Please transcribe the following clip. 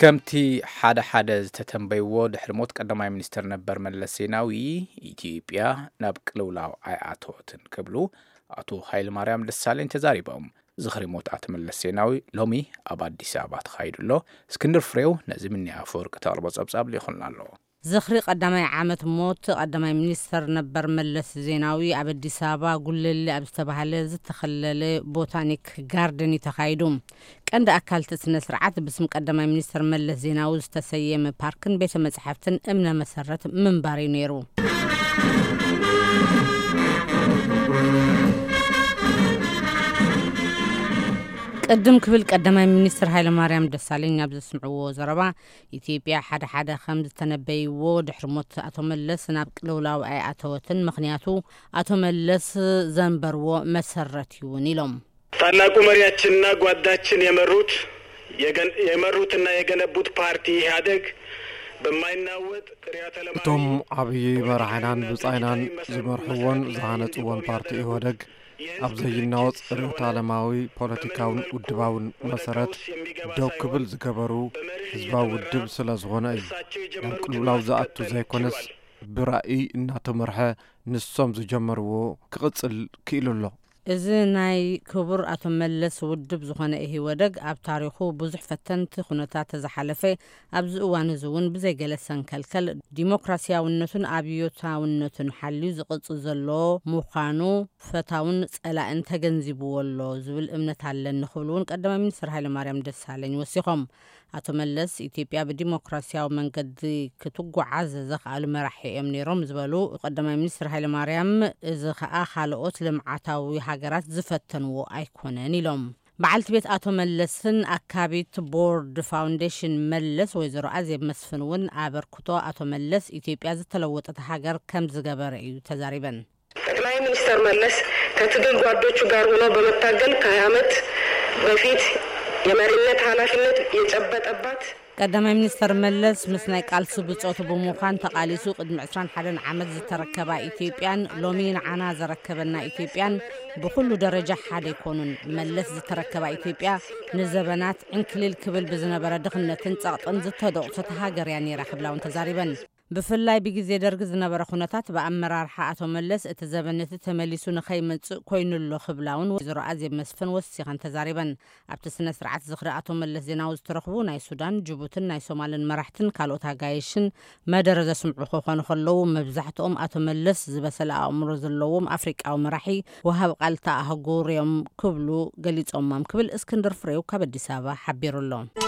ከምቲ ሓደ ሓደ ዝተተንበይዎ፣ ድሕሪ ሞት ቀዳማይ ሚኒስትር ነበር መለስ ዜናዊ፣ ኢትዮጵያ ናብ ቅልውላው ኣይኣተወትን ክብሉ ኣቶ ሃይለማርያም ደሳለኝ ተዛሪቦም። ዝኽሪ ሞት ኣቶ መለስ ዜናዊ ሎሚ ኣብ ኣዲስ ኣበባ ተኻይዱ ኣሎ። እስክንድር ፍሬው ነዚ ምንያ ኣፈወርቂ ተቕርቦ ጸብጻብ ልኢኹልና ኣሎ። ዝኽሪ ቀዳማይ ዓመት ሞት ቀዳማይ ሚኒስተር ነበር መለስ ዜናዊ ኣብ ኣዲስ ኣበባ ጉለሌ ኣብ ዝተባህለ ዝተኸለለ ቦታኒክ ጋርደን እዩ ተኻይዱ። ቀንዲ ኣካል እቲ ስነ ስርዓት ብስም ቀዳማይ ሚኒስተር መለስ ዜናዊ ዝተሰየመ ፓርክን ቤተ መጻሕፍትን እምነ መሰረት ምንባር እዩ ነይሩ። ቅድም ክብል ቀዳማይ ሚኒስትር ሃይለማርያም ደሳለኝ ኣብ ዘስምዕዎ ዘረባ፣ ኢትዮጵያ ሓደ ሓደ ከም ዝተነበይዎ ድሕሪ ሞት ኣቶ መለስ ናብ ቅልውላው ኣይኣተወትን፣ ምኽንያቱ ኣቶ መለስ ዘንበርዎ መሰረት እውን ኢሎም። ታላቁ መሪያችንና ጓዳችን የመሩት የገን- የመሩትና የገነቡት ፓርቲ ኢህአደግ በማይናወጥ ርዕዮተ ዓለማዊ እቶም ዓብዪ መራሕናን ብጻይናን ዝመርሕዎን ዝሃነጽዎን ፓርቲ ኢህወደግ ኣብ ዘይናወጽ ርዕዮተ ዓለማዊ ፖለቲካውን ውድባውን መሰረት ደው ክብል ዝገበሩ ህዝባዊ ውድብ ስለ ዝኾነ እዩ። ናብ ቅልውላው ዝኣቱ ዘይኮነስ፣ ብራእይ እናተመርሐ ንሶም ዝጀመርዎ ክቕጽል ክኢሉ ኣሎ። እዚ ናይ ክቡር ኣቶ መለስ ውድብ ዝኾነ ኢህወደግ ኣብ ታሪኹ ብዙሕ ፈተንቲ ኩነታት ተዝሓለፈ፣ ኣብዚ እዋን እዚ እውን ብዘይገለ ሰንከልከል ዲሞክራሲያውነቱን ኣብዮታውነቱን ሓልዩ ዝቕጽል ዘሎ ምዃኑ ፈታውን ጸላእን ተገንዚብዎ ኣሎ ዝብል እምነት ኣለኒ ክብሉ እውን ቀዳማይ ሚኒስትር ሃይለማርያም ደሳለኝ ወሲኾም። ኣቶ መለስ ኢትዮጵያ ብዲሞክራሲያዊ መንገዲ ክትጓዓዝ ዘኽኣሉ መራሒ እዮም ነይሮም ዝበሉ ቀዳማይ ሚኒስትር ሃይለማርያም፣ እዚ ኸኣ ካልኦት ልምዓታዊ ሃገራት ዝፈተንዎ ኣይኮነን ኢሎም። በዓልቲ ቤት ኣቶ መለስን ኣካቢት ቦርድ ፋውንዴሽን መለስ ወይዘሮ ኣዜብ መስፍን እውን ኣበርክቶ ኣቶ መለስ ኢትዮጵያ ዝተለወጠት ሃገር ከም ዝገበረ እዩ ተዛሪበን። ጠቅላይ ሚኒስትር መለስ ከትግል ጓዶቹ ጋር ሆኖ በመታገል ከሃያ ዓመት በፊት የመሪነት ኃላፊነት የጨበጠባት ቀዳማይ ሚኒስተር መለስ ምስ ናይ ቃልሲ ብጾቱ ብምዃን ተቓሊሱ ቅድሚ ዕስራን ሓደን ዓመት ዝተረከባ ኢትዮጵያን ሎሚ ንዓና ዘረከበና ኢትዮጵያን ብኹሉ ደረጃ ሓደ ኣይኮኑን። መለስ ዝተረከባ ኢትዮጵያ ንዘበናት ዕንክሊል ክብል ብዝነበረ ድኽነትን ጸቕጥን ዝተደቑሰት ሃገር እያ ነይራ ክብላ እውን ተዛሪበን። ብፍላይ ብግዜ ደርጊ ዝነበረ ኩነታት ብኣመራርሓ ኣቶ መለስ እቲ ዘበን እቲ ተመሊሱ ንኸይመጽእ ኮይኑ'ሎ ክብላ እውን ወይዘሮ ኣዜብ መስፍን ወሲኸን ተዛሪበን። ኣብቲ ስነ ስርዓት ዝኽሪ ኣቶ መለስ ዜናዊ ዝተረኽቡ ናይ ሱዳን፣ ጅቡትን ናይ ሶማልን መራሕትን ካልኦት ኣጋይሽን መደረ ዘስምዑ ክኾኑ ከለዉ፣ መብዛሕትኦም ኣቶ መለስ ዝበሰለ ኣእምሮ ዘለዎም ኣፍሪቃዊ መራሒ ወሃብ ቃል እታ ኣህጉር እዮም ክብሉ ገሊጾሞም ክብል እስክንድር ፍሬው ካብ ኣዲስ ኣበባ ሓቢሩ ኣሎ።